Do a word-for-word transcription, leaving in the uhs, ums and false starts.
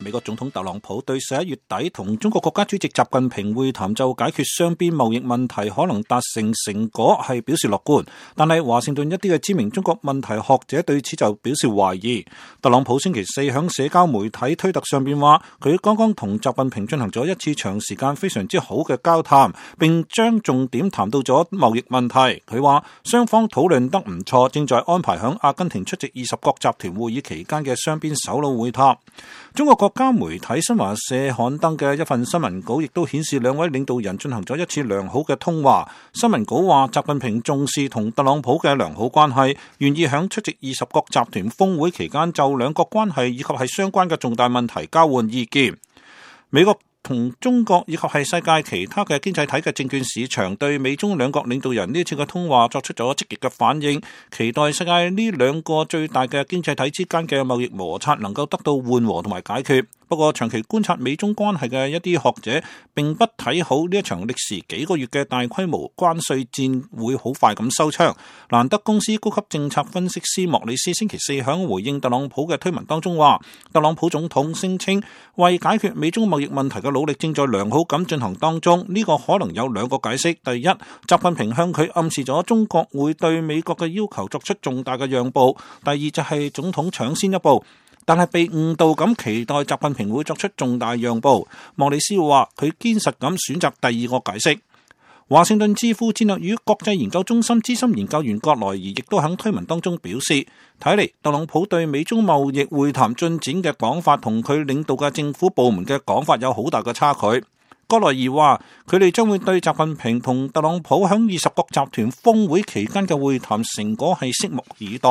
美國總統特朗普對十一月底同中國國家主席習近平會談就解決雙邊貿易問題可能達成成果係表示樂觀，但係華盛頓一啲嘅知名中國問題學者對此就表示懷疑。特朗普星期四響社交媒體推特上邊話，佢剛剛同習近平進行咗一次長時間非常之好嘅交談，並將重點談到咗貿易問題。佢話雙方討論得唔錯，正在安排響阿根廷出席二十國集團會議期間嘅雙邊首腦會談。中國國家媒體新華社刊登嘅一份新聞稿亦都顯示兩位領導人進行咗一次良好嘅通話。新聞稿話，習近平重視同特朗普嘅良好關係，願意響出席二十國集團峰會期間就兩國關係以及係相關嘅重大問題交換意見。美國同中國以及係世界其他嘅經濟體嘅證券市場對美中兩國領導人呢次嘅通話作出咗積極嘅反應，期待世界呢兩個最大嘅經濟體之間嘅貿易摩擦能夠得到緩和同埋解決。不過長期觀察美中關係嘅一啲學者並不睇好呢一場歷時幾個月嘅大規模關稅戰會好快咁收場。蘭德公司高級政策分析師莫里斯星期四響回應特朗普嘅推文當中話，特朗普總統聲稱為解決美中貿易問題嘅努力正在良好咁進行當中，呢、這個可能有兩個解釋。第一，習近平向佢暗示咗中國會對美國嘅要求作出重大嘅讓步；第二就係總統搶先一步，但係被誤導咁期待習近平會作出重大讓步。莫里斯話佢堅實咁選擇第二個解釋。華盛頓智庫戰略與國際研究中心資深研究員葛萊儀亦都喺推文當中表示，睇嚟特朗普對美中貿易會談進展嘅講法同佢領導嘅政府部門嘅講法有好大嘅差距。葛萊儀話佢哋將會對習近平同特朗普喺二十國集團峰會期間嘅會談成果係拭目以待。